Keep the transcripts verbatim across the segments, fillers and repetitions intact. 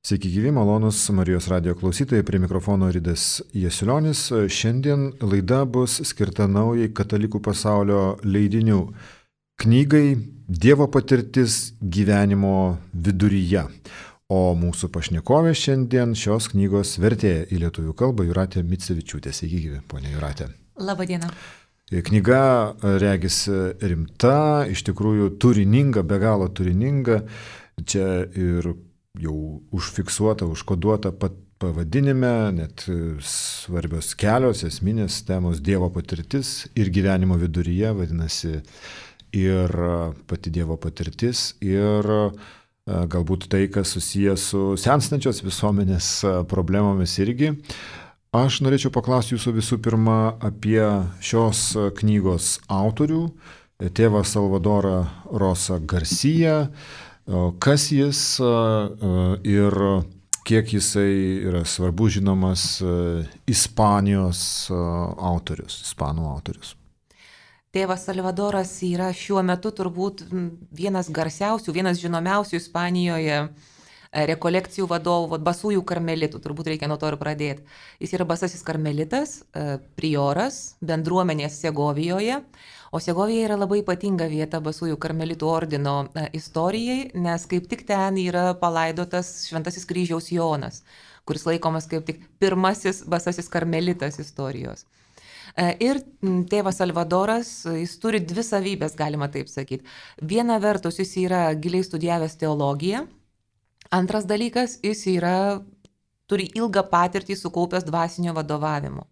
Sveiki gyvi, malonus Marijos radijo klausytojai, prie mikrofono Ridas Jasilionis. Šiandien laida bus skirta naujai katalikų pasaulio leidinių knygai Dievo patirtis gyvenimo viduryje. O mūsų pašnekovė šiandien šios knygos vertėja į lietuvių kalbą Jūratė Micevičiūtė. Sveiki gyvi, ponia Jūratė. Labadiena. Knyga regis rimta, iš tikrųjų turininga, be galo turininga. Čia ir jau užfiksuota, užkoduota pat pavadinime, net svarbios kelios esminės temos Dievo patirtis ir gyvenimo viduryje, vadinasi, ir pati Dievo patirtis, ir galbūt tai, kas susijęs su senstančios visuomenės problemomis irgi. Aš norėčiau paklausti jūsų visų pirma apie šios knygos autorių, tėvą Salvadorą Rosa Garcia. Kas jis ir kiek jisai yra svarbus žinomas Ispanijos autorius, ispanų autorius? Tėvas Salvadoras yra šiuo metu turbūt vienas garsiausių, vienas žinomiausių Ispanijoje rekolekcijų vadovų, basųjų karmelitų, turbūt reikia nuo to ir pradėti. Jis yra basasis karmelitas, prioras, bendruomenės Segovijoje, o Segovija yra labai ypatinga vieta basųjų karmelitų ordino istorijai, nes kaip tik ten yra palaidotas Šventasis kryžiaus Jonas, kuris laikomas kaip tik pirmasis basasis karmelitas istorijos. Ir tėvas Salvadoras, jis turi dvi savybės, galima taip sakyti. Viena vertus, jis yra giliai studijavęs teologiją. Antras dalykas, jis yra, turi ilgą patirtį sukaupęs dvasinio vadovavimo.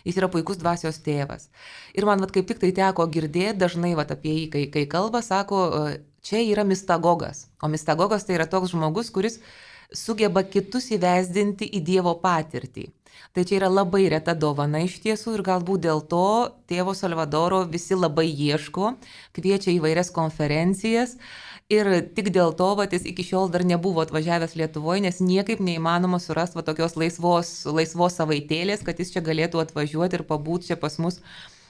Jis yra puikus dvasios tėvas. Ir man vat, kaip tik tai teko girdėti dažnai vat, apie jį, kai, kai kalba, sako, čia yra mistagogas. O mistagogas tai yra toks žmogus, kuris sugeba kitus įvesdinti į Dievo patirtį. Tai čia yra labai reta dovana iš tiesų ir galbūt dėl to tėvo Salvadoro visi labai ieško, kviečia į vairias konferencijas. Ir tik dėl to, va, jis iki šiol dar nebuvo atvažiavęs Lietuvoje, nes niekaip neįmanoma surasti va, tokios laisvos, laisvos savaitėlės, kad jis čia galėtų atvažiuoti ir pabūti čia pas mus,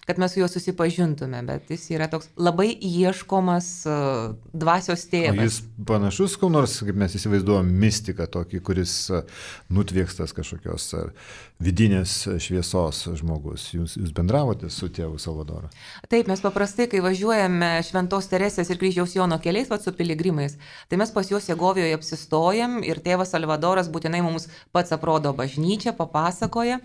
kad mes su juo susipažintume. Bet jis yra toks labai ieškomas uh, dvasios tėvas. O jis panašus, kol nors, kaip mes įsivaizduojam, mistiką tokį, kuris nutviekstas kažkokios vidinės šviesos žmogus. Jūs, jūs bendravote su tėvu Salvadoru? Taip, mes paprastai, kai važiuojame Šventos Teresės ir Kryžiaus Jono keliais, va, su piligrimais, tai mes pas juos Segovijoje apsistojam ir tėvas Salvadoras būtinai mums pats aprodo bažnyčią, papasakoja.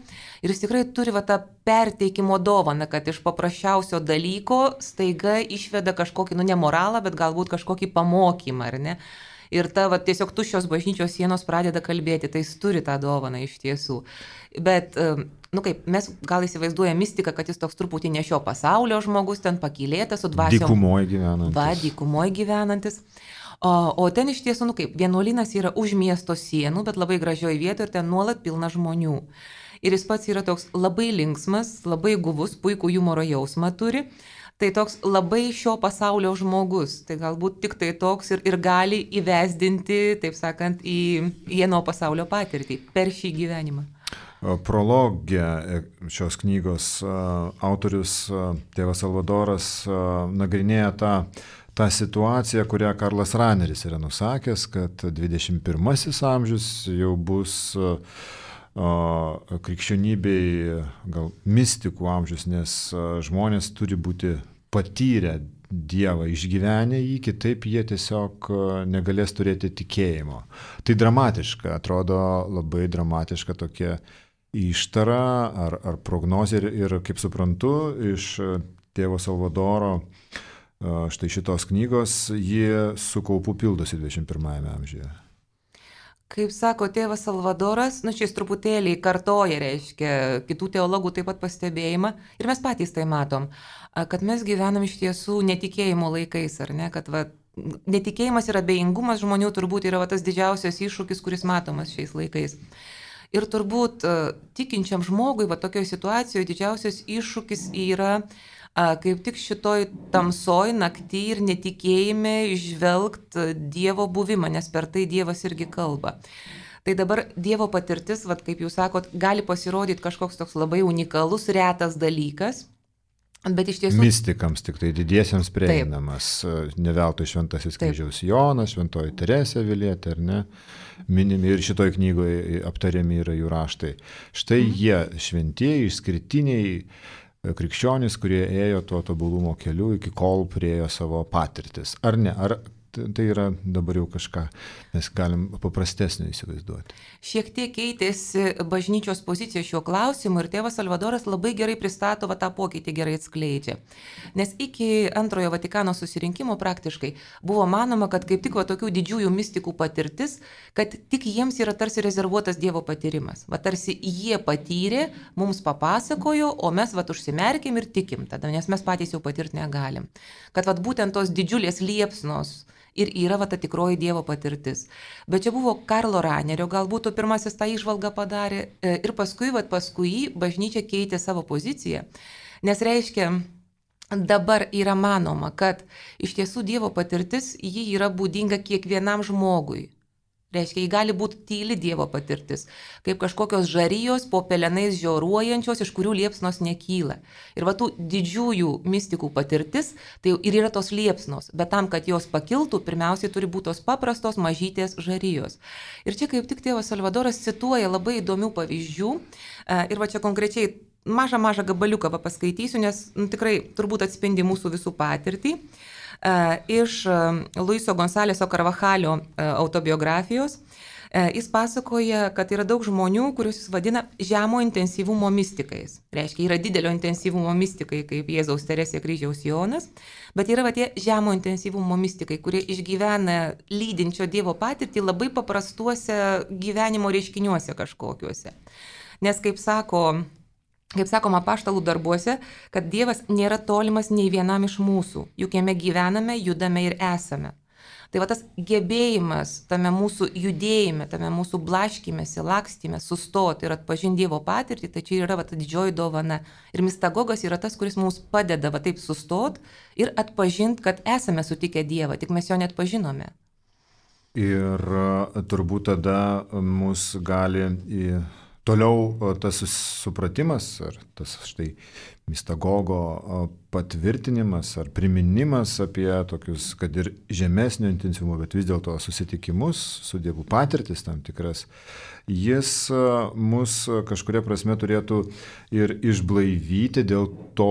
Ir jis tikrai turi va, tą perteikimo dovaną, kad iš paprasčiausio dalyko staiga išveda kažkokį, nu, ne moralą, bet galbūt kažkokį pamokymą, ar ne? Ir ta va, tiesiog tuščios bažnyčios sienos pradeda kalbėti, tai jis turi tą dovaną iš tiesų. Bet, nu kaip, mes gal įsivaizduojame mistiką, kad jis toks truputį ne šio pasaulio žmogus, ten pakylėtas su dvasiom. Dykumoje gyvenantis. Va, dykumoje gyvenantis. O, o ten iš tiesų, nu kaip, vienuolynas yra už miesto sienų, bet labai gražioje vietoje ir ten nuolat pilna žmonių. Ir jis pats yra toks labai linksmas, labai guvus, puikų humoro jausmą turi. Tai toks labai šio pasaulio žmogus. Tai galbūt tik tai toks ir, ir gali įvesdinti, taip sakant, į vieno pasaulio patirtį per šį gyvenimą. Prologė šios knygos autorius tėvas Salvadoras nagrinėja tą, tą situaciją, kurią Karlas Raneris yra nusakęs, kad dvidešimt pirmasis amžius jau bus krikščionybei gal mistikų amžius, nes žmonės turi būti patyrę Dievą, išgyvenę jį, kitaip jie tiesiog negalės turėti tikėjimo. Tai dramatiška, atrodo labai dramatiška tokia ištara ar, ar prognozė ir, ir, kaip suprantu, iš tėvo Salvadoro štai šitos knygos, jie su kaupu pildosi dvidešimt pirmajame amžiuje. Kaip sako tėvas Salvadoras, nu šis truputėlį kartoja, reiškia, kitų teologų taip pat pastebėjimą ir mes patys tai matom, kad mes gyvenam iš tiesų netikėjimo laikais, ar ne, kad va, netikėjimas ir abejingumas žmonių turbūt yra va, tas didžiausias iššūkis, kuris matomas šiais laikais. Ir turbūt tikinčiam žmogui va, tokioje situacijoje didžiausias iššūkis yra kaip tik šitoj tamsoj nakty ir netikėjime žvelgt Dievo buvimą, nes per tai Dievas irgi kalba. Tai dabar Dievo patirtis, vat, kaip jūs sakot, gali pasirodyti kažkoks toks labai unikalus, retas dalykas, Bet iš tiesų... Mistikams tik tai didiesiems prieinamas. Ne veltui Šventasis Kryžiaus Jonas, Šventoji Teresė Avilietė, ar ne? Minimi ir šitoj knygoje aptariami yra jų raštai. Štai mhm. jie šventieji, išskirtiniai krikščionys, kurie ėjo tuo tobulumo keliu, iki kol priejo savo patirtis. Ar ne? Ar tai yra dabar jau kažką, mes galim paprastesnio įsivaizduoti. Šiek tiek keitėsi bažnyčios pozicija šiuo klausimu ir tėvas Salvadoras labai gerai pristato, va tą pokytį gerai atskleidžia. Nes iki antrojo Vatikano susirinkimo praktiškai buvo manoma, kad kaip tik va tokių didžiųjų mistikų patirtis, kad tik jiems yra tarsi rezervuotas Dievo patyrimas. Va tarsi jie patyrė, mums papasakojo, o mes va užsimerkim ir tikim tada, nes mes patys jau patirti negalim. Kad va būtent tos didžiulės liepsnos ir yra va ta tikroji Dievo patirtis. Bet čia buvo Karlo Ranerio, galbūt pirmasis tą įžvalgą padarė ir paskui, va paskui bažnyčia keitė savo poziciją, nes reiškia, dabar yra manoma, kad iš tiesų Dievo patirtis, ji yra būdinga kiekvienam žmogui. Reiškia, jį gali būti tyli Dievo patirtis, kaip kažkokios žarijos po pelenais žioruojančios, iš kurių liepsnos nekyla. Ir va tų didžiųjų mistikų patirtis, tai ir yra tos liepsnos, bet tam, kad jos pakiltų, pirmiausiai turi būti tos paprastos mažytės žarijos. Ir čia kaip tik tėvas Salvadoras cituoja labai įdomių pavyzdžių ir va čia konkrečiai mažą mažą gabaliuką paskaitysiu, nes nu, tikrai turbūt atspindi mūsų visų patirtį. Iš Luiso Gonzaleso Carvajalio autobiografijos. Jis pasakoja, kad yra daug žmonių, kuriuos jis vadina žemo intensyvumo mistikais. Reiškia, yra didelio intensyvumo mistikai, kaip Jėzaus Teresė Kryžiaus Jonas, bet yra va tie žemo intensyvumo mistikai, kurie išgyvena lydinčio Dievo patirtį labai paprastuose gyvenimo reiškiniuose kažkokiuose. Nes kaip sako... Kaip sakoma apaštalų darbuose, kad Dievas nėra tolimas nei vienam iš mūsų, juk jame gyvename, judame ir esame. Tai va tas gebėjimas tame mūsų judėjime, tame mūsų blaškymėse, lakstymė, sustoti ir atpažinti Dievo patirtį, tai čia yra va ta didžioji dovana. Ir mistagogas yra tas, kuris mums padeda va taip sustoti ir atpažinti, kad esame sutikę Dievą, tik mes jo net pažinome. Ir turbūt tada mus gali į... Toliau tas supratimas, ar tas štai mistagogo patvirtinimas, ar priminimas apie tokius, kad ir žemesnio intensyvumo, bet vis dėlto susitikimus su Dievu patirtis tam tikras, jis mus kažkuria prasme turėtų ir išblaivyti dėl to,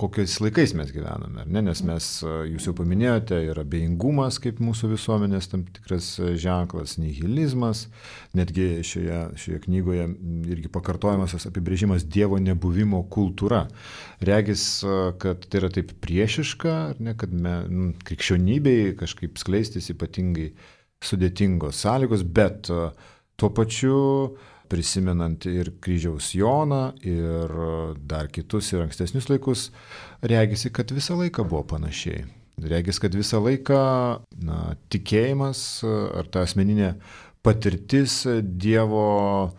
kokiais laikais mes gyvename. Ne? Nes mes, jūs jau paminėjote, yra abejingumas kaip mūsų visuomenės tam tikras ženklas, nihilizmas, netgi šioje, šioje knygoje irgi pakartojamas apibrėžimas Dievo nebuvimo kultūra. Regis, kad tai yra taip priešiška, ar ne, kad me, nu, krikščionybei kažkaip skleistis ypatingai sudėtingos sąlygos, bet tuo pačiu prisimenant ir Kryžiaus Joną, ir dar kitus ir ankstesnius laikus, regisi, kad visą laiką buvo panašiai. Regis, kad visą laiką na, tikėjimas ar ta asmeninė patirtis Dievo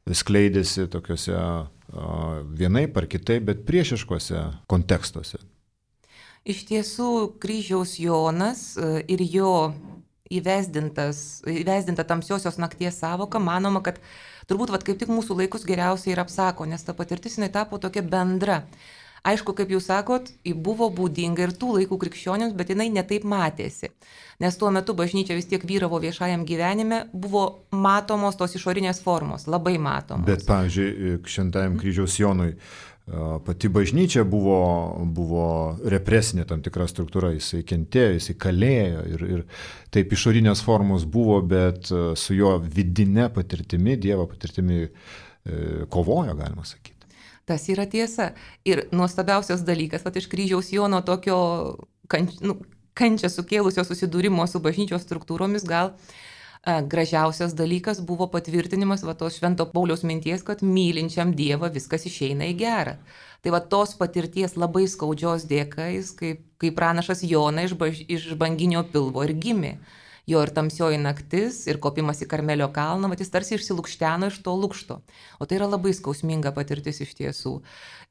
skleidėsi tokiuose vienaip ar kitaip, bet priešiškuose kontekstuose. Iš tiesų, Kryžiaus Jonas ir jo įvesdinta tamsiosios nakties savoka, manoma, kad turbūt vat, kaip tik mūsų laikus geriausiai ir apsako, nes ta patirtis jinai tapo tokia bendra. Aišku, kaip jūs sakot, buvo būdinga ir tų laikų krikščionims, bet jinai netaip matėsi. Nes tuo metu bažnyčia vis tiek vyravo viešajam gyvenime, buvo matomos tos išorinės formos, labai matomos. Bet, pavyzdžiui, Šventajam Kryžiaus Jonui pati bažnyčia buvo, buvo represinė tam tikra struktūra, jisai kentėjo, jisai kalėjo ir, ir taip išorinės formos buvo, bet su jo vidinė patirtimi, Dievo patirtimi kovojo, galima sakyti. Tas yra tiesa. Ir nuostabiausias dalykas, vat iš Kryžiaus Jono tokio kanč, nu, kančią sukėlusio susidūrimo su bažnyčios struktūromis gal a, gražiausias dalykas buvo patvirtinimas va tos Švento Pauliaus minties, kad mylinčiam Dievą viskas išeina į gerą. Tai va tos patirties labai skaudžios dėka, jis kaip, kaip pranašas Jona iš, baž, iš banginio pilvo ir gimė. Jo ir tamsioji naktis, ir kopimas į Karmelio kalną, mat jis tarsi išsilukšteno iš to lukšto. O tai yra labai skausminga patirtis iš tiesų.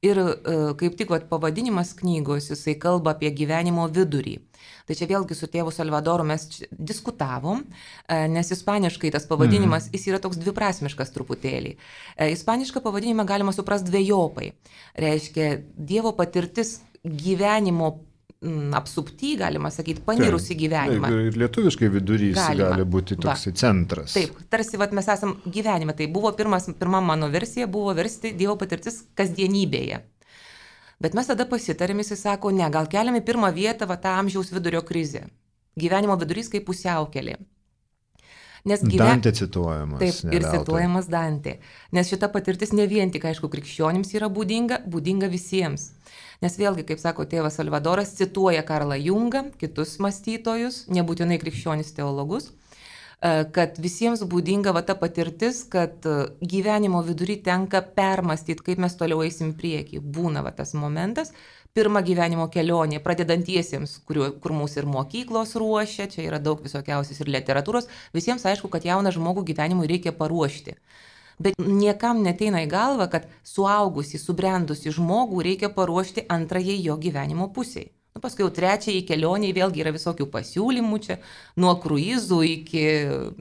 Ir e, kaip tik vat, pavadinimas knygos, jisai kalba apie gyvenimo vidurį. Tai čia vėlgi su tėvu Salvadoru mes diskutavom, e, nes ispaniškai tas pavadinimas, mm. jis yra toks dviprasmiškas truputėlį. E, ispanišką pavadinimą galima suprasti dvejopai. Reiškia, Dievo patirtis gyvenimo apsupty, galima sakyti, panirus į gyvenimą. Ir lietuviškai vidurys galima. Gali būti toksai centras. Taip, tarsi vat, mes esam gyvenime. Tai buvo pirmas, pirma mano versija, buvo versti Dievo patirtis kasdienybėje. Bet mes tada pasitarėm, jis sako, ne, gal keliam į pirmą vietą va, tą amžiaus vidurio krizę. Gyvenimo vidurys kaip pusiaukelė. Nes gyven... Dantė cituojamas. Taip, ir cituojamas Dantė. Nes šita patirtis ne vien tik, aišku, krikščionims yra būdinga, būdinga visiems. Nes vėlgi, kaip sako tėvas Salvadoras, cituoja Karlą Jungą, kitus mąstytojus, nebūtinai krikščionis teologus, kad visiems būdinga va ta patirtis, kad gyvenimo vidury tenka permastyti, kaip mes toliau eisim priekį. Būna va tas momentas, pirma gyvenimo kelionė, pradedantiesiems, kur, kur mūsų ir mokyklos ruošia, čia yra daug visokiausios ir literatūros, visiems aišku, kad jauną žmogų gyvenimui reikia paruošti. Bet niekam neteina į galvą, kad suaugusį, subrendusi žmogų reikia paruošti antrajai jo gyvenimo pusiai. Nu, paskui jau trečiai kelioniai vėlgi yra visokių pasiūlymų čia, nuo kruizų iki,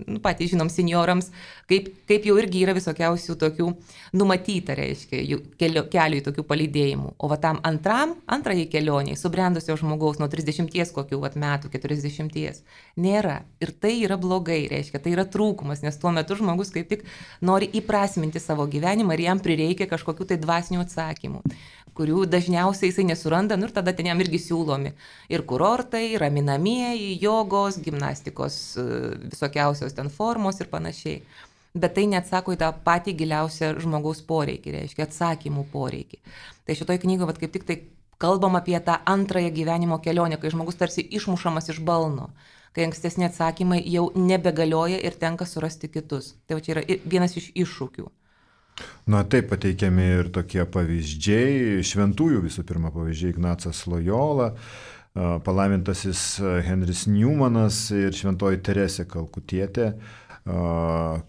nu, patys žinom, seniorams, kaip, kaip jau irgi yra visokiausių tokių numatyta, reiškia, kelio, kelių į tokių palydėjimų. O va tam antram, antrajai kelioniai, subrendusio žmogaus nuo trisdešimties kokių vat, metų, keturiasdešimties, nėra. Ir tai yra blogai, reiškia, tai yra trūkumas, nes tuo metu žmogus kaip tik nori įprasminti savo gyvenimą ir jam prireikia kažkokių tai dvasinių atsakymų, kurių dažniausiai jisai nesuranda, nu ir tada ten jam irgi siūlomi. Ir kurortai, raminamieji, jogos, gimnastikos, visokiausios ten formos ir panašiai. Bet tai neatsako į tą patį giliausią žmogaus poreikį, reiškia atsakymų poreikį. Tai šitoj knygoje vat, kaip tik tai kalbam apie tą antrąją gyvenimo kelionę, kai žmogus tarsi išmušamas iš balno, kai ankstesni atsakymai jau nebegalioja ir tenka surasti kitus. Tai va čia yra vienas iš iššūkių. Na taip pateikiami ir tokie pavyzdžiai, šventųjų visų pirma pavyzdžiai Ignacas Lojola, palaimintasis Henris Newmanas ir šventoji Teresė Kalkutietė,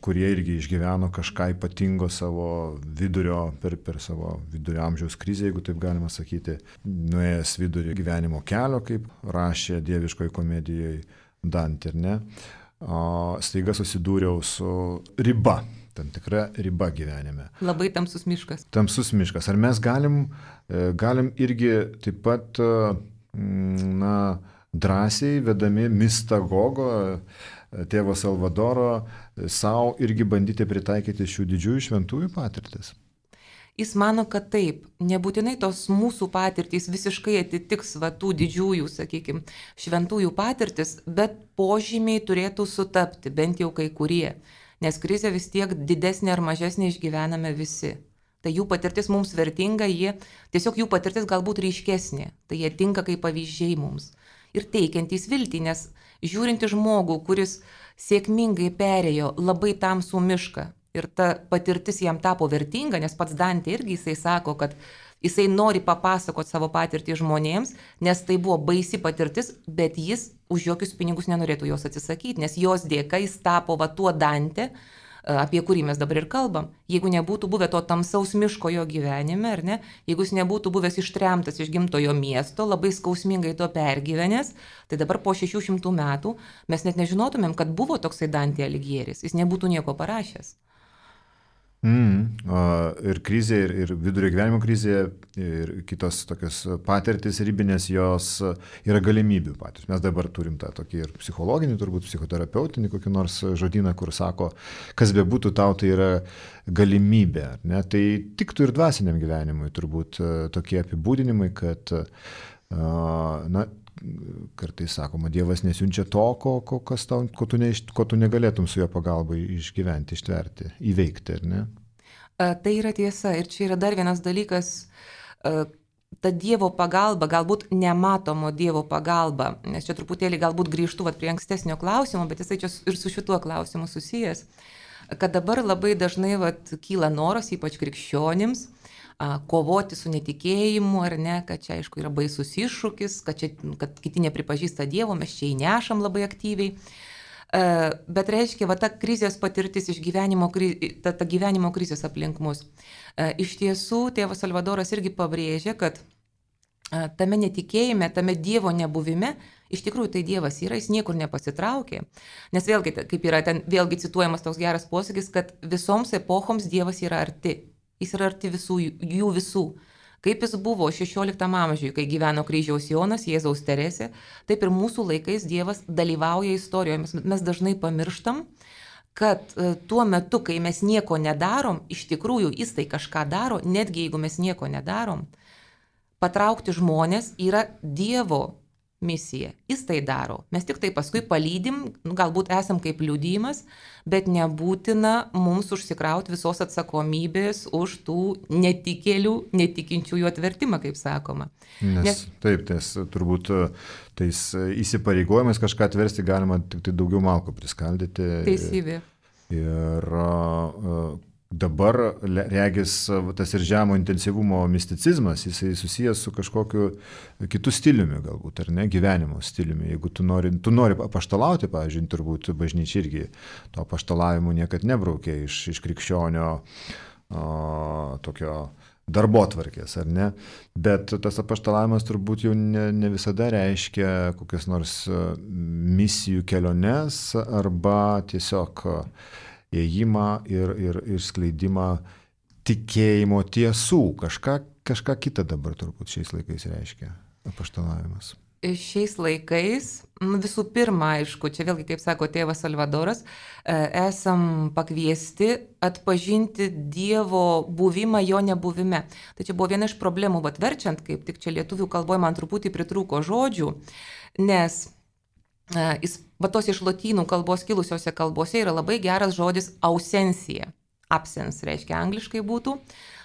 kurie irgi išgyveno kažką ypatingo savo vidurio, per, per savo vidurio amžiaus krizę, jeigu taip galima sakyti, nuėjęs vidurio gyvenimo kelio, kaip rašė dieviškoje komedijoje Dantė, ne? Staiga susidūriau su riba. Tam tikra riba gyvenime. Labai tamsus miškas. Tamsus miškas. Ar mes galim, galim irgi taip pat na, drąsiai vedami mistagogo, tėvo Salvadoro, savo irgi bandyti pritaikyti šių didžiųjų šventųjų patirtis? Jis mano, kad taip, nebūtinai tos mūsų patirtys visiškai atitiks va, tų didžiųjų, sakykime, šventųjų patirtis, bet požymiai turėtų sutapti, bent jau kai kurie. Nes krizę vis tiek didesnė ar mažesnė išgyvename visi. Tai jų patirtis mums vertinga, jie, tiesiog jų patirtis galbūt ryškesnė, tai jie tinka kaip pavyzdžiai mums. Ir teikiantys viltį, nes žiūrinti žmogų, kuris sėkmingai perėjo labai tamsų mišką ir ta patirtis jam tapo vertinga, nes pats Dantė irgi jisai sako, kad jisai nori papasakoti savo patirtį žmonėms, nes tai buvo baisi patirtis, bet jis už jokius pinigus nenorėtų jos atsisakyti, nes jos dėka jis tapo va tuo Dantė, apie kurį mes dabar ir kalbam. Jeigu nebūtų buvę to tamsaus miško jo gyvenime, ar ne, jeigu jis nebūtų buvęs ištremtas iš gimtojo miesto, labai skausmingai to pergyvenęs, tai dabar po šešių šimtų metų mes net nežinotumėm, kad buvo toksai Dantė Aligieris, jis nebūtų nieko parašęs. Mm, ir krizė, ir, ir vidurio gyvenimo krizė, ir kitos tokios patirtis ribinės, jos yra galimybių patys. Mes dabar turim tą tokį ir psichologinį, turbūt psichoterapeutinį kokį nors žodyną, kur sako, kas bebūtų tau, tai yra galimybė. Ne? Tai tiktų ir dvasiniam gyvenimui turbūt tokie apibūdinimai, kad na, kartais sakoma, Dievas nesiunčia to, ko, ko, kas tau, ko, tu ne, ko tu negalėtum su jo pagalba išgyventi, ištverti, įveikti, ar ne? Tai yra tiesa. Ir čia yra dar vienas dalykas, ta Dievo pagalba, galbūt nematomo Dievo pagalba, nes čia truputėlį galbūt grįžtu vat, prie ankstesnio klausimo, bet jisai čia ir su šituo klausimu susijęs, kad dabar labai dažnai vat, kyla noras, ypač krikščionims, kovoti su netikėjimu, ar ne, kad čia aišku yra baisus iššūkis, kad, čia, kad kiti nepripažįsta Dievo, mes čia įnešam labai aktyviai. Bet reiškia, va ta krizės patirtis iš gyvenimo, ta, ta gyvenimo krizės aplink mus. Iš tiesų, tėvas Salvadoras irgi pabrėžia, kad tame netikėjime, tame Dievo nebuvime, iš tikrųjų tai Dievas yra, jis niekur nepasitraukė. Nes vėlgi, kaip yra ten vėlgi cituojamas toks geras posakis, kad visoms epochoms Dievas yra arti. Jis yra arti visų, jų visų. Kaip jis buvo šešioliktam amžiuje, kai gyveno kryžiaus Jonas, Jėzaus Teresė, taip ir mūsų laikais Dievas dalyvauja istorijoje. Mes, mes dažnai pamirštam, kad tuo metu, kai mes nieko nedarom, iš tikrųjų jis tai kažką daro, netgi jeigu mes nieko nedarom, patraukti žmonės yra Dievo misija. Jis tai daro. Mes tik tai paskui palydim, galbūt esam kaip liudijimas, bet nebūtina mums užsikrauti visos atsakomybės už tų netikėlių, netikinčiųjų atvertimą, kaip sakoma. Nes, Nes taip, tais, turbūt tais įsipareigojimais kažką atversti galima tik tai daugiau malkų priskaldyti. Teisybė. Ir uh, dabar, regis, tas ir žemo intensyvumo misticizmas, jisai susijęs su kažkokiu kitu stiliumi galbūt, ar ne, gyvenimo stiliumi. Jeigu tu nori, tu nori apaštalauti, pavyzdžiui, turbūt bažnyčia irgi to apaštalavimu niekad nebraukė iš, iš krikščionio o, tokio darbotvarkės, ar ne? Bet tas apaštalavimas turbūt jau ne, ne visada reiškia kokias nors misijų keliones arba tiesiog ėjimą ir, ir, ir skleidimą tikėjimo tiesų. Kažką, kažką kitą dabar turbūt šiais laikais reiškia apaštalavimas. Šiais laikais, visų pirma, aišku, čia vėlgi, kaip sako tėvas Salvadoras, esam pakviesti atpažinti Dievo buvimą jo nebuvime. Tai čia buvo viena iš problemų, bet verčiant, kaip tik čia lietuvių kalboje man truputį pritrūko žodžių, nes Jis, va tos iš lotynų kalbos kilusiose kalbose yra labai geras žodis ausencija. Absence reiškia angliškai būtų.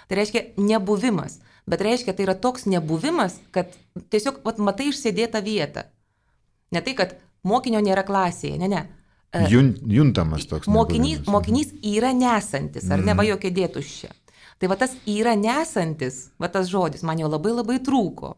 Tai reiškia nebuvimas. Bet reiškia, tai yra toks nebuvimas, kad tiesiog vat, matai išsėdėtą vietą. Ne tai, kad mokinio nėra klasėje, ne, ne. Jun, juntamas toks mokinys, mokinys yra nesantis, ar ne, va jo kėdė tuščia. Tai va tas yra nesantis, va tas žodis man jo labai labai trūko.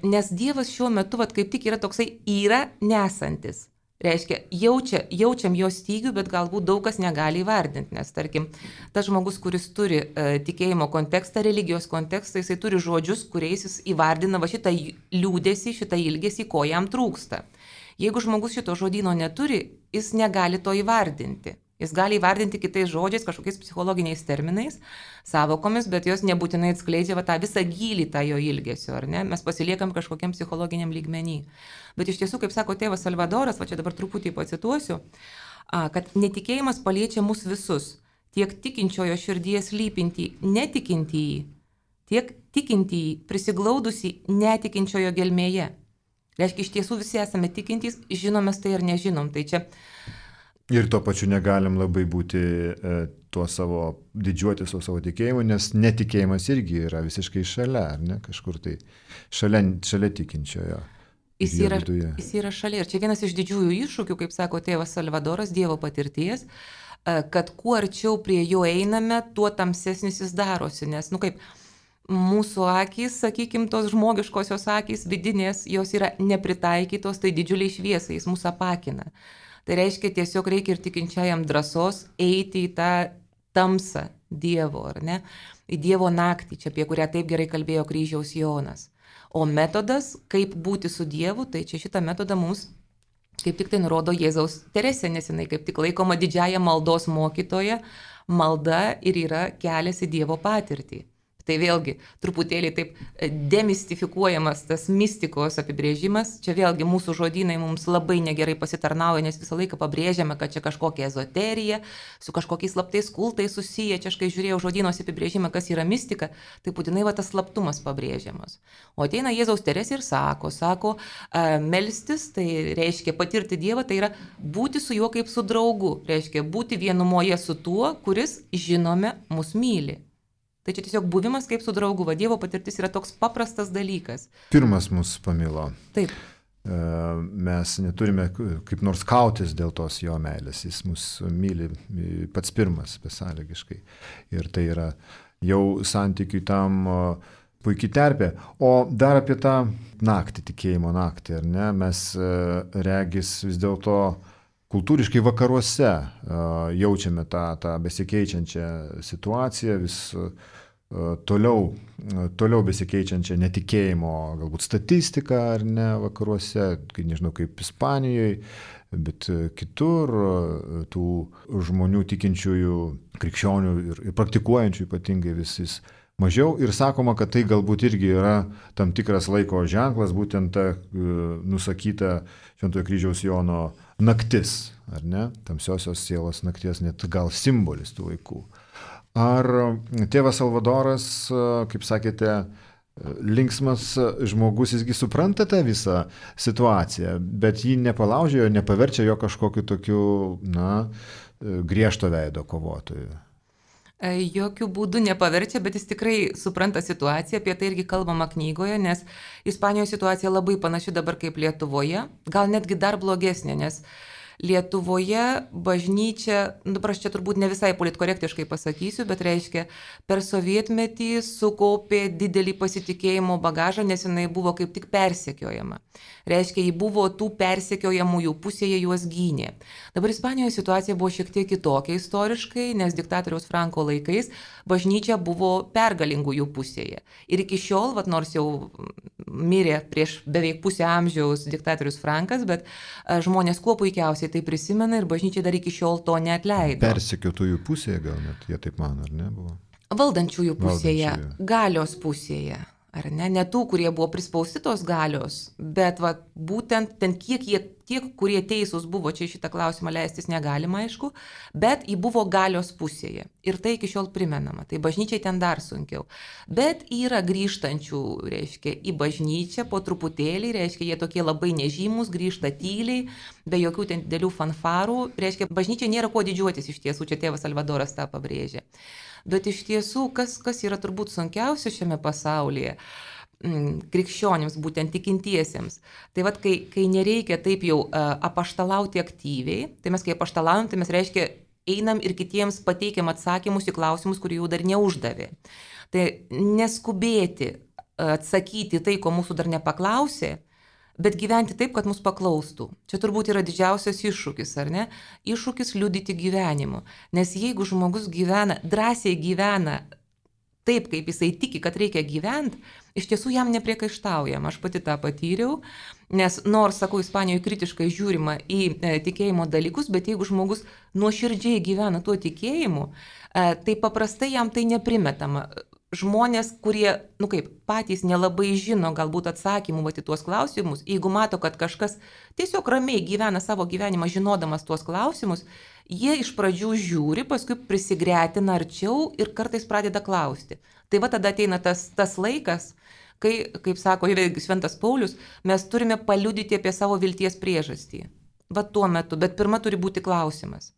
Nes Dievas šiuo metu, vat, kaip tik yra toksai yra nesantis. Reiškia, jaučia, jaučiam jo stygių, bet galbūt daug kas negali įvardinti, nes tarkim, tas žmogus, kuris turi uh, tikėjimo kontekstą, religijos kontekstą, jisai turi žodžius, kuriais jis įvardina va šitą liūdesį, šitą ilgesį, ko jam trūksta. Jeigu žmogus šito žodyno neturi, jis negali to įvardinti. Jis gali įvardinti kitais žodžiais, kažkokiais psichologiniais terminais, savokomis, bet jos nebūtinai atskleidžia va, tą visą gylį tą jo ilgesio, ar ne? Mes pasiliekam kažkokiam psichologiniam lygmenį. Bet iš tiesų, kaip sako tėvas Salvadoras, va čia dabar truputį pacituosiu, kad netikėjimas paliečia mus visus, tiek tikinčiojo širdies lypintį netikintįjį, tiek tikintįjį prisiglaudusį netikinčiojo gelmėje. Reiškia, iš tiesų visi esame tikintys, žinomės tai ar nežinom. Tai čia ir tuo pačiu negalim labai būti e, tuo savo, didžiuoti su savo tikėjimu, nes netikėjimas irgi yra visiškai šalia, ar ne, kažkur tai šalia, šalia tikinčiojo. Jis yra, jis yra šalia. Ir čia vienas iš didžiųjų iššūkių, kaip sako tėvas Salvadoras, Dievo patirties, kad kuo arčiau prie jo einame, tuo tamsesnis jis darosi, nes, nu kaip, mūsų akys, sakykime, tos žmogiškosios akys vidinės, jos yra nepritaikytos, tai didžiuliai šviesai, jis mūsų apakina. Tai reiškia, tiesiog reikia ir tikinčiajam drąsos eiti į tą tamsą Dievo, ar ne? Į Dievo naktį, čia apie kurią taip gerai kalbėjo kryžiaus Jonas. O metodas, kaip būti su Dievu, tai čia šitą metodą mums kaip tik tai nurodo Jėzaus Teresė, nes jinai kaip tik laikoma didžiąją maldos mokytoja, malda ir yra kelias į Dievo patirtį. Tai vėlgi truputėlį taip demistifikuojamas tas mistikos apibrėžimas. Čia vėlgi mūsų žodynai mums labai negerai pasitarnauja, nes visą laiką pabrėžiame, kad čia kažkokia ezoterija, su kažkokiais slaptais kultais susiję. Čia aš kai žiūrėjau žodynos apibrėžimą, kas yra mistika, tai būtinai va tas slaptumas pabrėžiamas. O ateina Jėzaus Teresė ir sako, sako, melstis, tai reiškia patirti Dievą, tai yra būti su juo kaip su draugu. Reiškia būti vienumoje su tuo, kuris, žinome, mus myli. Tai čia tiesiog buvimas kaip su draugu, va Dievo patirtis yra toks paprastas dalykas. Pirmas mus pamilo. Taip. Mes neturime kaip nors kautis dėl tos jo meilės, jis mus myli pats pirmas, besąlygiškai. Ir tai yra jau santykiui tam puikiai terpė. O dar apie tą naktį, tikėjimo naktį, ar ne, mes regis vis dėlto kultūriškai vakaruose uh, jaučiame tą, tą besikeičiančią situaciją, vis uh, toliau, uh, toliau besikeičiančią netikėjimo galbūt statistiką, ar ne, vakaruose, kai nežinau kaip Ispanijoje, bet uh, kitur uh, tų žmonių tikinčiųjų, krikščionių ir, ir praktikuojančių ypatingai vis, vis mažiau ir sakoma, kad tai galbūt irgi yra tam tikras laiko ženklas, būtent ta nusakyta Šventojo kryžiaus Jono naktis, ar ne? Tamsiosios sielos nakties, net gal simbolis tų laikų. Ar tėvas Salvadoras, kaip sakėte, linksmas žmogus, jisgi supranta tą visą situaciją, bet jį nepalaužė, nepaverčia jo kažkokiu tokiu, na, griežto veido kovotoju? Jokių būdų nepaverčia, bet jis tikrai supranta situaciją, apie tai irgi kalbama knygoje, nes Ispanijoje situacija labai panaši dabar kaip Lietuvoje, gal netgi dar blogesnė, nes Lietuvoje bažnyčia, dabar aš čia turbūt ne visai politkorektiškai pasakysiu, bet reiškia, per sovietmetį sukaupė didelį pasitikėjimo bagažą, nes jinai buvo kaip tik persekiojama. Reiškia, ji buvo tų persekiojamųjų pusėje, juos gynė. Dabar Ispanijoje situacija buvo šiek tiek kitokia istoriškai, nes diktatoriaus Franko laikais bažnyčia buvo pergalingųjų pusėje. Ir iki šiol, vat, nors jau mirė prieš beveik pusę amžiaus diktatorius Frankas, bet žmonės kuo puikiausiai tai prisimena ir bažnyčia dar iki šiol to neatleido. Persekiotųjų pusėje gal net, jie taip mano, ar ne buvo? Valdančiųjų pusėje, Valdančiųjų. Galios pusėje, ar ne? Ne tų, kurie buvo prispausti tos galios, bet va, būtent ten kiek jie, tiek, kurie teisūs buvo, čia šitą klausimą leistis negalima, aišku, bet jį buvo galios pusėje. Ir tai iki šiol primenama. Tai bažnyčiai ten dar sunkiau. Bet yra grįžtančių, reiškia, į bažnyčią po truputėlį, reiškia, jie tokie labai nežymus, grįžta tyliai, be jokių ten didelių fanfarų. Reiškia, bažnyčiai nėra ko didžiuotis iš tiesų, čia tėvas Salvadoras tą pabrėžė. Bet iš tiesų, kas, kas yra turbūt sunkiausia šiame pasaulyje, krikščionims, būtent tikintiesiems. Tai vad, kai, kai nereikia taip jau uh, apaštalauti aktyviai, tai mes kai apaštalaujam, tai mes reiškia einam ir kitiems pateikiam atsakymus į klausimus, kurių jau dar neuždavė. Tai neskubėti uh, atsakyti tai, ko mūsų dar nepaklausė, bet gyventi taip, kad mus paklaustų. Čia turbūt yra didžiausias iššūkis, ar ne? Iššūkis liudyti gyvenimu. Nes jeigu žmogus gyvena, drąsiai gyvena taip, kaip jisai tiki, kad reikia gyventi, iš tiesų jam nepriekaištaujama. Aš pati tą patyriau, nes nors, sakau, Ispanijoje kritiškai žiūrima į e, tikėjimo dalykus, bet jeigu žmogus nuoširdžiai gyvena tuo tikėjimu, e, tai paprastai jam tai neprimetama. Žmonės, kurie, nu kaip, patys nelabai žino galbūt atsakymų vat į tuos klausimus, jeigu mato, kad kažkas tiesiog ramiai gyvena savo gyvenimą žinodamas tuos klausimus, jie iš pradžių žiūri, paskui prisigretina arčiau ir kartais pradeda klausti. Tai va tada ateina tas, tas laikas, kai, kaip sako Šventas Paulius, mes turime paliudyti apie savo vilties priežastį. Va tuo metu, bet pirma turi būti klausimas.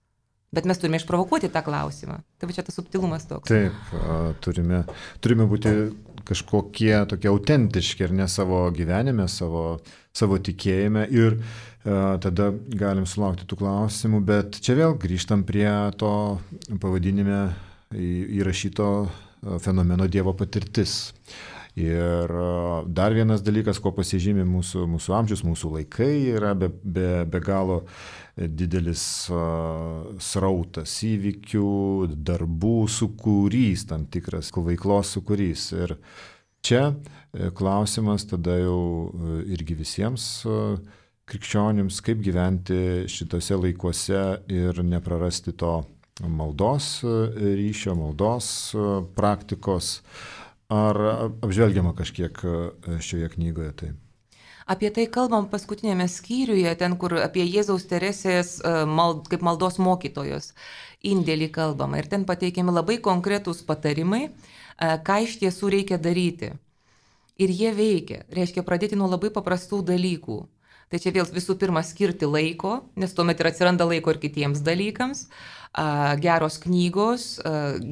Bet mes turime išprovokuoti tą klausimą. Tai va čia tas subtilumas toks. Taip, turime, turime būti kažkokie tokie autentiški ir ne savo gyvenime, savo, savo tikėjime ir a, tada galim sulaukti tų klausimų, bet čia vėl grįžtam prie to pavadinime įrašyto fenomeno Dievo patirtis. Ir dar vienas dalykas, ko pasižymė mūsų, mūsų amžius, mūsų laikai, yra be, be, be galo didelis uh, srautas įvykių, darbų sukūrys, tam tikras veiklos sukūrys. Ir čia klausimas tada jau irgi visiems uh, krikščionims, kaip gyventi šitose laikuose ir neprarasti to maldos ryšio, maldos uh, praktikos. Ar apžvelgiama kažkiek šioje knygoje tai? Apie tai kalbam paskutinėme skyriuje, ten, kur apie Jėzaus Teresės mald, kaip maldos mokytojos indėlį kalbama. Ir ten pateikiami labai konkretūs patarimai, ką iš tiesų reikia daryti. Ir jie veikia. Reiškia pradėti nuo labai paprastų dalykų. Tai čia vėl visų pirma skirti laiko, nes tuomet ir atsiranda laiko ir kitiems dalykams. Geros knygos,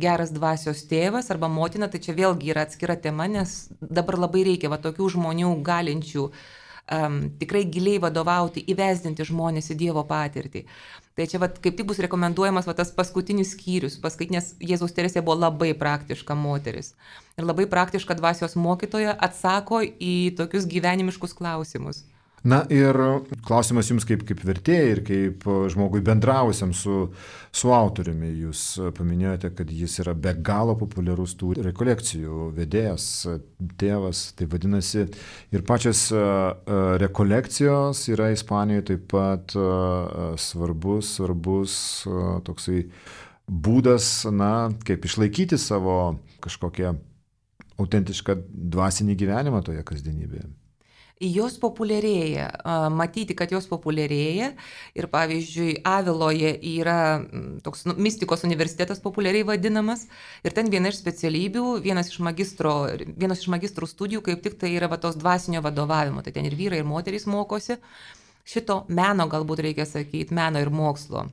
geras dvasios tėvas arba motina, tai čia vėlgi yra atskira tema, nes dabar labai reikia va, tokių žmonių galinčių um, tikrai giliai vadovauti, įvesdinti žmonės į Dievo patirtį. Tai čia va, kaip tik bus rekomenduojamas va, tas paskutinis skyrius, nes Jėzaus Teresė buvo labai praktiška moteris. Ir labai praktiška dvasios mokytoja atsako į tokius gyvenimiškus klausimus. Na ir klausimas jums kaip, kaip vertėjai ir kaip žmogui bendravusiam su, su autoriumi. Jūs paminėjote, kad jis yra be galo populiarus tų rekolekcijų vedėjas, tėvas, tai vadinasi. Ir pačios rekolekcijos yra Ispanijoje taip pat svarbus, svarbus toksai būdas, na, kaip išlaikyti savo kažkokią autentišką dvasinį gyvenimą toje kasdienybėje? Jos populiarėja, matyti, kad jos populiarėja ir pavyzdžiui, Aviloje yra toks nu, mistikos universitetas populiariai vadinamas ir ten viena iš specialybių, vienas iš, magistro, vienas iš magistrų studijų kaip tik tai yra va, tos dvasinio vadovavimo, tai ten ir vyrai, ir moterys mokosi šito meno, galbūt reikia sakyti, meno ir mokslo.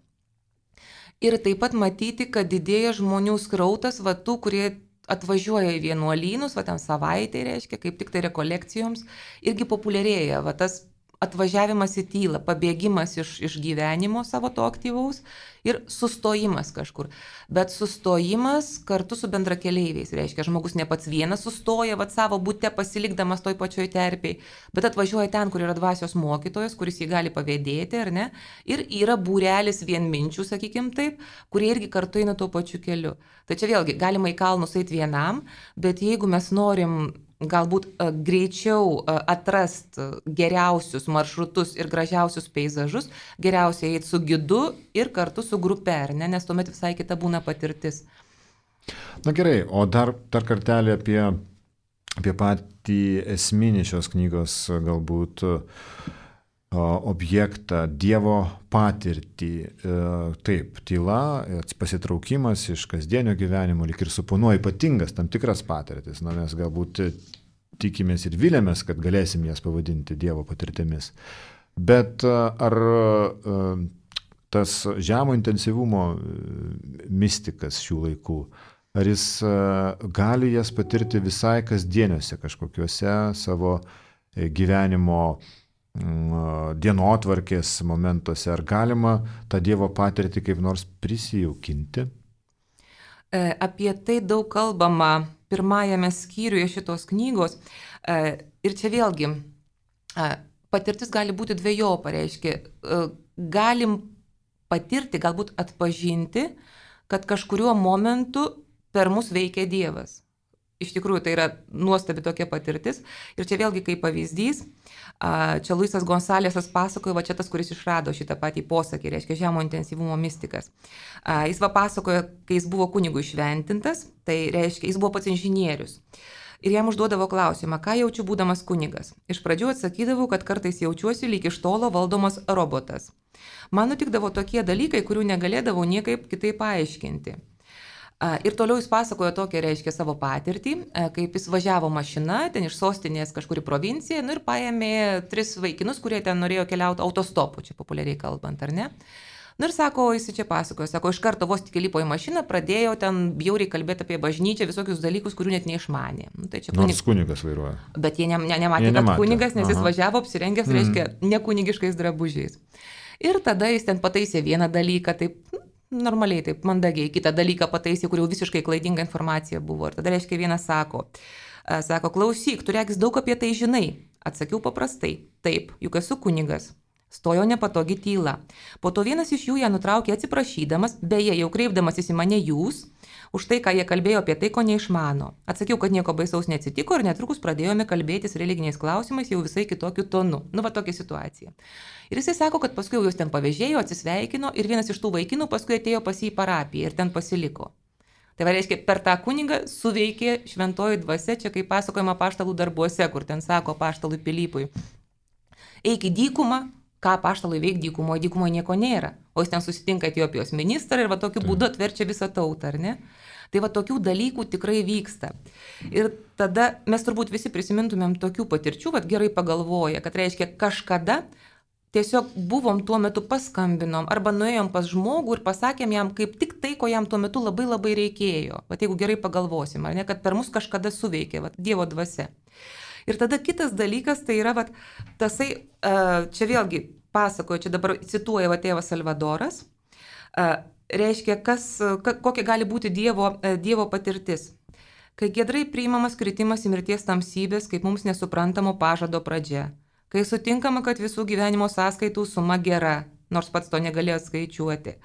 Ir taip pat matyti, kad didėja žmonių srautas, va tų, kurie atvažiuoja į vienuolynus, va ten savaitė reiškia, kaip tik tai rekolekcijoms, irgi populiarėja, va tas atvažiavimas į tylą, pabėgimas iš, iš gyvenimo savo to aktyvaus ir sustojimas kažkur. Bet sustojimas kartu su bendrakeleiviais, reiškia, žmogus ne pats vienas sustoja, va savo bute pasilikdamas toj pačioj terpėj, bet atvažiuoja ten, kur yra dvasios mokytojas, kuris jį gali pavėdėti, ar ne? Ir yra būrelis vienminčių, sakykim taip, kurie irgi kartu eina tuo pačiu keliu. Tai čia vėlgi, galima į kalnus eiti vienam, bet jeigu mes norim galbūt uh, greičiau uh, atrast geriausius maršrutus ir gražiausius peizažus, geriausiai eiti su gidu ir kartu su grupe, ar ne, nes tuomet visai kita būna patirtis. Na gerai, o dar, dar kartelį apie, apie patį esminį šios knygos galbūt uh, objektą, Dievo patirtį. Uh, taip, tyla, pasitraukimas iš kasdienio gyvenimo, lyg ir suponuoja ypatingas tam tikras patirtis. Na, mes galbūt tikimės ir vilėmės, kad galėsim jas pavadinti Dievo patirtimis. Bet ar tas žemo intensyvumo mistikas šių laikų, ar jis gali jas patirti visai kasdieniuose kažkokiuose savo gyvenimo dienotvarkės momentuose, ar galima tą Dievo patirtį kaip nors prisijaukinti? Apie tai daug kalbama pirmajame skyriuje šitos knygos. Ir čia vėlgi, patirtis gali būti dvejopa, reiškia, galim patirti, galbūt atpažinti, kad kažkuriuo momentu per mus veikia Dievas. Iš tikrųjų, tai yra nuostabi tokia patirtis. Ir čia vėlgi kaip pavyzdys, čia Luisas Gonsalesas pasakoja, va čia tas, kuris išrado šitą patį posakį, reiškia žemo intensyvumo mistikas. Jis va pasakoja, kai jis buvo kunigų šventintas, tai reiškia, jis buvo pats inžinierius. Ir jam užduodavo klausimą, ką jaučiu būdamas kunigas. Iš pradžių atsakydavau, kad kartais jaučiuosi lyg iš tolo valdomas robotas. Man nutikdavo tokie dalykai, kurių negalėdavau niekaip kitaip paaiškinti. Ir toliau jis pasakojo tokią, reiškia, savo patirtį, kaip jis važiavo mašina, ten iš sostinės kažkur į provinciją, nu ir paėmė tris vaikinus, kurie ten norėjo keliauti autostopu, čia populiariai kalbant, ar ne? Nu ir sako, jis čia pasakojo, sako, iš karto vos tik įlipo į mašiną, pradėjo ten bjauriai kalbėti apie bažnyčią, visokius dalykus, kurių net neišmanė. Nu, tai kunig... Nors kunigas vairuoja. Bet jie ne, ne, nematė, jie nematė, kad kunigas, nes Aha. jis važiavo apsirengęs, mm. reiškia, nekunigiškais drabužiais. Ir tada jis ten pataisė vieną dalyką, taip... normaliai, taip mandagiai, kitą dalyką pataisė, kur jau visiškai klaidinga informacija buvo. Ir tada, reiškia, vienas sako, sako, klausyk, tu regis daug apie tai žinai. Atsakiau paprastai, taip, juk esu kunigas. Stojo nepatogi tyla. Po to vienas iš jų ją nutraukė atsiprašydamas, beje, jau kreipdamasis į mane jūs, už tai, ką jie kalbėjo apie tai, ko neišmano. Atsakiau, kad nieko baisaus neatsitiko ir netrukus pradėjome kalbėtis religiniais klausimais jau visai kitokiu tonu. Nu, va tokia situacija. Ir jisai sako, kad paskui jau jūs ten pavėžėjo, atsisveikino ir vienas iš tų vaikinų paskui atėjo pas jį į parapiją ir ten pasiliko. Tai va, reiškia, per tą kunigą suveikė šventoji dvasia, čia kaip pasakojama apaštalų darbuose, kur ten sako apaštalui Pilypui, eik į dykumą, ką apaštalui veik dykumoje, dykumoje nieko nėra. O jis ten susitinka Etiopijos ministrą ir va tokiu būdu atverčia visą tautą, ar ne? Tai va tokių dalykų tikrai vyksta. Ir tada mes turbūt visi prisimintumėm tokių patirčių, va gerai pagalvoja, kad reiškia kažkada tiesiog buvom tuo metu paskambinom arba nuėjom pas žmogų ir pasakėm jam kaip tik tai, ko jam tuo metu labai labai reikėjo. Va jeigu gerai pagalvosim, ar ne, kad per mus kažkada suveikė va, Dievo dvasia. Ir tada kitas dalykas, tai yra va, tasai, čia vėlgi pasakoju, čia dabar cituoja va tėvas Salvadoras, reiškia, kas, kokia gali būti dievo, dievo patirtis. Kai giedrai priimamas kritimas į mirties tamsybės, kaip mums nesuprantamo pažado pradžia. Kai sutinkama, kad visų gyvenimo sąskaitų suma gera, nors pats to negalėjo skaičiuoti.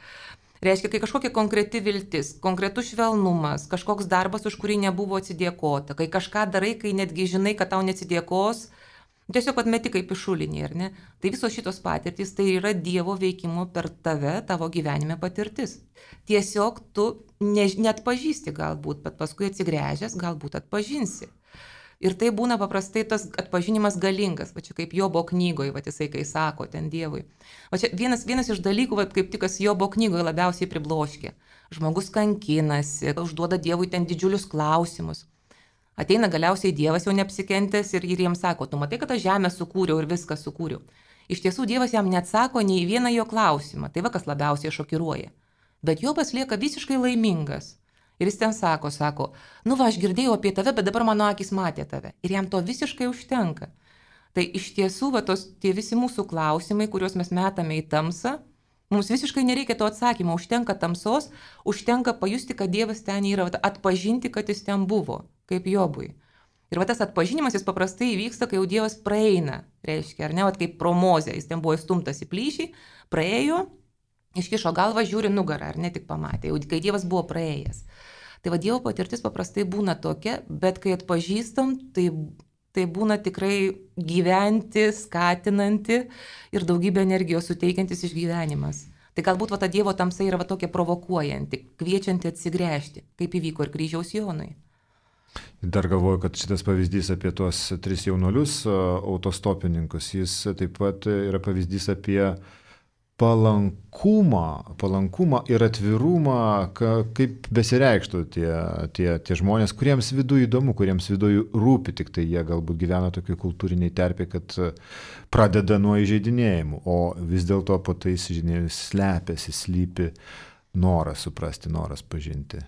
Reiškia, kai kažkokia konkreti viltis, konkretus švelnumas, kažkoks darbas, už kurį nebuvo atsidėkota, kai kažką darai, kai netgi žinai, kad tau neatsidėkos, Tiesiog atmeti kaip išulinį, ar ne? Tai visos šitos patirtys tai yra Dievo veikimo per tave, tavo gyvenime patirtis. Tiesiog tu ne, net pažįsti galbūt, bet paskui atsigręžęs galbūt atpažinsi. Ir tai būna paprastai tas atpažinimas galingas, va čia kaip Jobo knygoje, va jisai kai sako ten Dievui. Va čia vienas, vienas iš dalykų, va kaip tik kas Jobo knygoje labiausiai pribloškė. Žmogus kankinasi, užduoda Dievui ten didžiulius klausimus. Ateina galiausiai Dievas jau neapsikentęs ir, ir jiems sako, tu matai, kad aš žemę sukūriau ir viską sukūriau. Iš tiesų Dievas jam neatsako nei vieną jo klausimą, tai va kas labiausiai šokiruoja. Bet Jobas lieka visiškai laimingas. Ir jis ten sako, sako, nu va, aš girdėjau apie tave, bet dabar mano akis matė tave. Ir jam to visiškai užtenka. Tai iš tiesų, va, tos, tie visi mūsų klausimai, kuriuos mes metame į tamsą, mums visiškai nereikia to atsakymo, užtenka tamsos, užtenka pajusti, kad Dievas ten yra, va, atpažinti, kad jis ten buvo, kaip Jobui. Ir va tas atpažinimas jis paprastai įvyksta, kai jau Dievas praeina, reiškia, ar ne, va kaip pro Mozę, jis ten buvo įstumtas į plyšį, praėjo, iškišo galvą, žiūri nugarą, ar ne tik pamatė, jau kai Dievas buvo praėjęs. Tai va Dievo patirtis paprastai būna tokia, bet kai atpažįstam, tai, tai būna tikrai gyventi, skatinanti ir daugybę energijos suteikiantis išgyvenimas. Tai galbūt va ta Dievo tamsa yra va tokia provokuojanti, kviečianti atsigręžti, kaip įvyko ir kryžiaus Jonui. Dar galvoju, kad šitas pavyzdys apie tuos tris jaunuolius autostopininkus, jis taip pat yra pavyzdys apie palankumą, palankumą ir atvirumą, ka, kaip besireikštų tie, tie, tie žmonės, kuriems viduje įdomu, kuriems viduje rūpi, tik tai jie galbūt gyvena tokiai kultūriniai terpė, kad pradeda nuo įžeidinėjimų, o vis dėlto po tai įžeidinėjimus slepiasi, slypi noras suprasti, noras pažinti.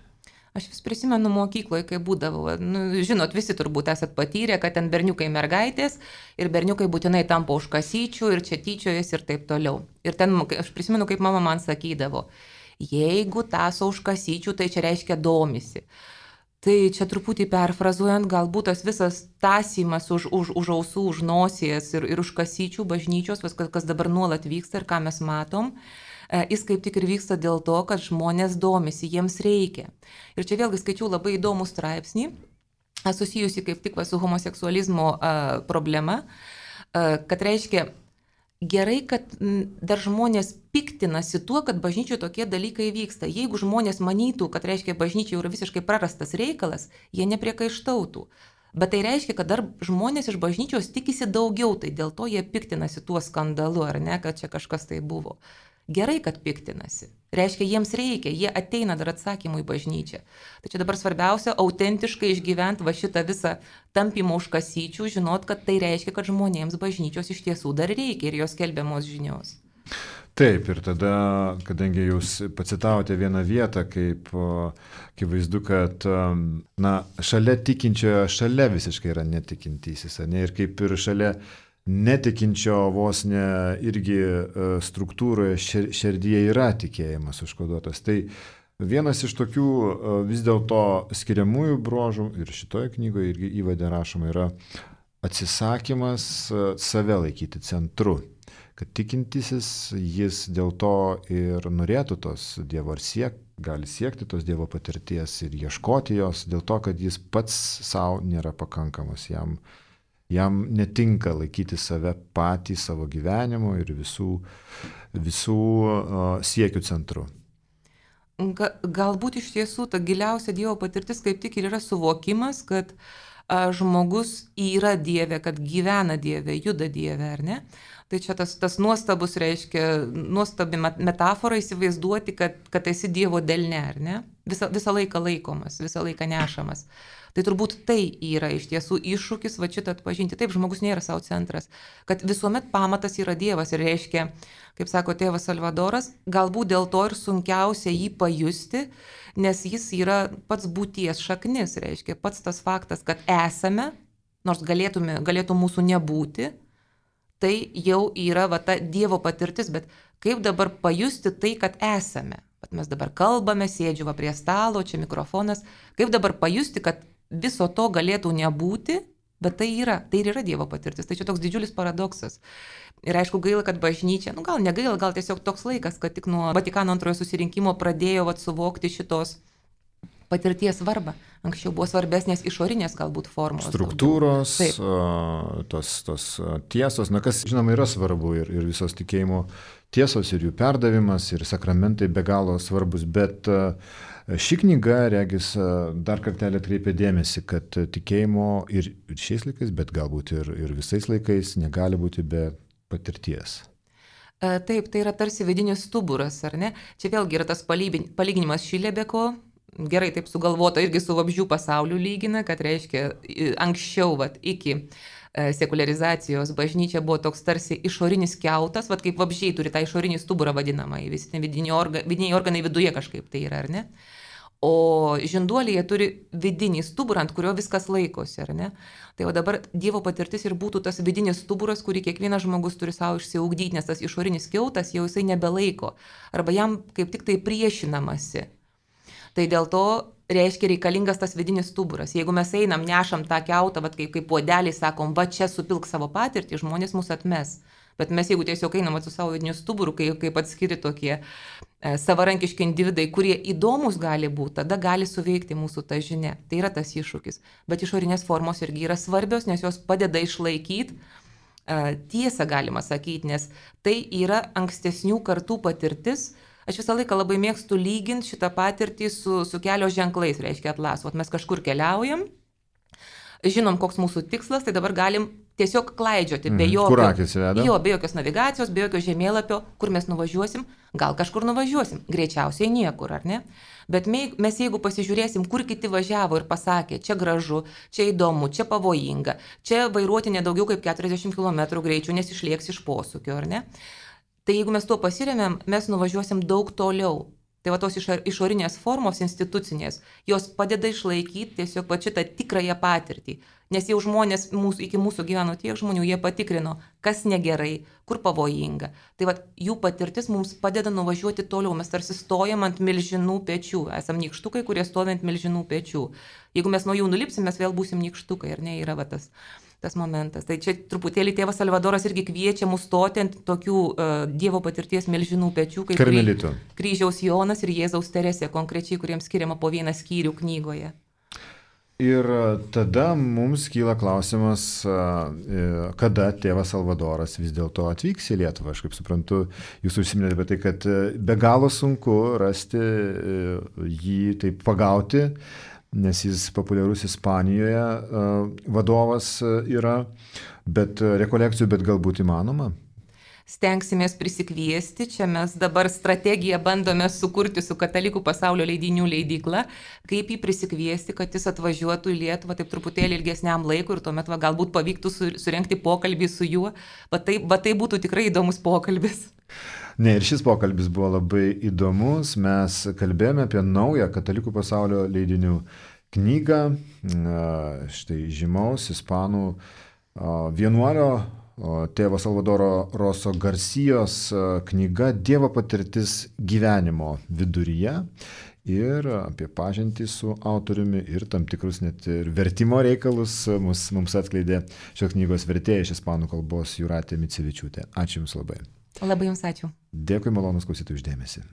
Aš vis prisimenu mokykloje, kai būdavau, nu, žinot, visi turbūt esat patyrę, kad ten berniukai mergaitės ir berniukai būtinai tampa už kasyčių ir čia tyčiojas ir taip toliau. Ir ten, aš prisimenu, kaip mama man sakydavo, jeigu taso už kasyčių, tai čia reiškia domisi. Tai čia truputį perfrazuojant, galbūt tas visas tąsymas už, už, už ausų, už nosies ir, ir už kasyčių bažnyčios, viskas, kas dabar nuolat vyksta ir ką mes matom, jis kaip tik ir vyksta dėl to, kad žmonės domisi, jiems reikia. Ir čia vėlgi skaičiau labai įdomų straipsnį, susijusi kaip tik va, su homoseksualizmo a, problema, a, kad reiškia gerai, kad dar žmonės piktinasi tuo, kad bažnyčioje tokie dalykai vyksta. Jeigu žmonės manytų, kad reiškia bažnyčioje yra visiškai prarastas reikalas, jie nepriekaištautų. Bet tai reiškia, kad dar žmonės iš bažnyčios tikisi daugiau, tai dėl to jie piktinasi tuo skandalu, ar ne, kad čia kažkas tai buvo. Gerai, kad piktinasi. Reiškia, jiems reikia, jie ateina dar atsakymų į bažnyčią. Tai čia dabar svarbiausia, autentiškai išgyventi va šitą visą tampimą už kasyčių, žinot, kad tai reiškia, kad žmonėms bažnyčios iš tiesų dar reikia ir jos skelbiamos žinios. Taip, ir tada, kadangi jūs pacitavote vieną vietą, kaip, kaip vaizdu, kad na, šalia tikinčiojo, šalia visiškai yra netikintysis, ne? Ir kaip ir šalia netikinčio vos ne irgi struktūroje širdyje yra tikėjimas užkoduotas. Tai vienas iš tokių vis dėlto skiriamųjų bruožų ir šitoje knygoje irgi įvade rašoma yra atsisakymas save laikyti centru. Kad tikintysis jis dėl to ir norėtų tos Dievo ar siek, gali siekti tos Dievo patirties ir ieškoti jos, dėl to, kad jis pats savo nėra pakankamas jam. Jam netinka laikyti save patį savo gyvenimo ir visų, visų uh, siekių centru. Ga, galbūt iš tiesų ta giliausia Dievo patirtis kaip tik ir yra suvokimas, kad a, žmogus yra Dieve, kad gyvena Dieve, juda Dieve, ar ne? Tai čia tas, tas nuostabus reiškia, nuostabi metafora įsivaizduoti, kad, kad esi Dievo delne, ar ne? Visą, visą laiką laikomas, visą laiką nešamas. Tai turbūt tai yra iš tiesų iššūkis va šitą atpažinti. Taip, žmogus nėra savo centras, kad visuomet pamatas yra Dievas ir reiškia, kaip sako tėvas Salvadoras, galbūt dėl to ir sunkiausia jį pajusti, nes jis yra pats būties šaknis, reiškia pats tas faktas, kad esame, nors galėtume, galėtų mūsų nebūti, tai jau yra va ta Dievo patirtis, bet kaip dabar pajusti tai, kad esame. Bet mes dabar kalbame, sėdžiu va prie stalo, čia mikrofonas, kaip dabar pajusti, kad viso to galėtų nebūti, bet tai yra, tai ir yra Dievo patirtis. Tai čia toks didžiulis paradoksas. Ir aišku, gaila, kad bažnyčia, nu gal negaila, gal tiesiog toks laikas, kad tik nuo Vatikano antrojo susirinkimo pradėjo vat, suvokti šitos patirties svarbą. Anksčiau buvo svarbesnės išorinės galbūt formos. Struktūros, tos, tos tiesos, na kas žinoma yra svarbu ir, ir visos tikėjimo tiesos ir jų perdavimas ir sakramentai be galo svarbus, bet ši knyga, regis, dar kartelį atkreipia dėmesį, kad tikėjimo ir šiais laikais, bet galbūt ir, ir visais laikais negali būti be patirties. Taip, tai yra tarsi vidinis stuburas, ar ne? Čia vėlgi yra tas palyginimas Šilebeko, gerai taip sugalvota, irgi su vabzdžių pasauliu lygina, kad reiškia anksčiau, vat, iki sekuliarizacijos bažnyčia buvo toks tarsi išorinis kiautas, vat kaip vabzdžiai turi tą išorinį stuburą vadinamą, visi vidiniai, orga, vidiniai organai viduje kažkaip tai yra, ar ne? O žinduoliai turi vidinį stuburą, ant kurio viskas laikosi, ar ne? Tai o dabar Dievo patirtis ir būtų tas vidinis stuburas, kurį kiekvienas žmogus turi savo išsiugdyti, nes tas išorinis kiautas jau jisai nebelaiko, arba jam kaip tik tai priešinamasi. Tai dėl to reiškia reikalingas tas vidinis stuburas. Jeigu mes einam, nešam tą kiautą, vat, kaip, kaip puodelį, sakom, va čia supilk savo patirtį, žmonės mus atmes. Bet mes jeigu tiesiog einam su savo vidiniu stuburu, kaip, kaip atskiri tokie e, savarankiški individai, kurie įdomus gali būti, tada gali suveikti mūsų ta žinia. Tai yra tas iššūkis. Bet išorinės formos irgi yra svarbios, nes jos padeda išlaikyti e, tiesą, galima sakyti, nes tai yra ankstesnių kartų patirtis. Aš visą laiką labai mėgstu lyginti šitą patirtį su, su kelio ženklais, reiškia atlasu. Mes kažkur keliaujam, žinom, koks mūsų tikslas, tai dabar galim tiesiog klaidžioti, be, jokio, jo, be jokios navigacijos, be jokio žemėlapio, kur mes nuvažiuosim, gal kažkur nuvažiuosim, greičiausiai niekur, ar ne? Bet mes jeigu pasižiūrėsim, kur kiti važiavo ir pasakė, čia gražu, čia įdomu, čia pavojinga, čia vairuoti nedaugiau kaip keturiasdešimt kilometrų greičių, nes išlieks iš posūkio, ar ne? Tai jeigu mes tuo pasiremėm, mes nuvažiuosim daug toliau. Tai va tos išorinės formos institucinės, jos padeda išlaikyti tiesiog va šitą tikrąją patirtį. Nes jau žmonės, mūsų, iki mūsų gyveno tiek žmonių, jie patikrino, kas negerai, kur pavojinga. Tai va jų patirtis mums padeda nuvažiuoti toliau. Mes tarsi stojam ant milžinų pečių. Esam nykštukai, kurie stovi ant milžinų pečių. Jeigu mes nuo jų nulipsim, mes vėl būsim nykštukai, ar ne, yra va tas. tas momentas. Tai čia truputėlį tėvas Salvadoras irgi kviečia mus stoti ant tokių uh, Dievo patirties milžinų pečių, kaip Karmelitų. Kryžiaus Jonas ir Jėzaus Teresė, konkrečiai, kuriems skiriama po vieną skyrių knygoje. Ir tada mums kyla klausimas, kada tėvas Salvadoras vis dėlto atvyks į Lietuvą. Aš kaip suprantu, jūs užsiminėte apie tai, kad be galo sunku rasti jį, taip pagauti, nes jis populiarus Ispanijoje vadovas yra, bet rekolekcijų, bet galbūt įmanoma. Stengsimės prisikviesti, čia mes dabar strategiją bandome sukurti su Katalikų pasaulio leidinių leidykla, kaip jį prisikviesti, kad jis atvažiuotų į Lietuvą taip truputėlį ilgesniam laikui ir tuomet va, galbūt pavyktų surengti pokalbį su juo, va tai, va tai būtų tikrai įdomus pokalbis. Ne, ir šis pokalbis buvo labai įdomus, mes kalbėjome apie naują Katalikų pasaulio leidinių knygą, štai žymaus ispanų vienuolio tėvo Salvadoro Roso Garcijos knyga Dievo patirtis gyvenimo viduryje ir apie pažintį su autoriumi ir tam tikrus net ir vertimo reikalus mums, mums atskleidė šios knygos vertėja iš ispanų kalbos Jūratė Micevičiūtė. Ačiū Jums labai. Labai Jums ačiū. Dėkui, malonus klausytojų, už dėmesį.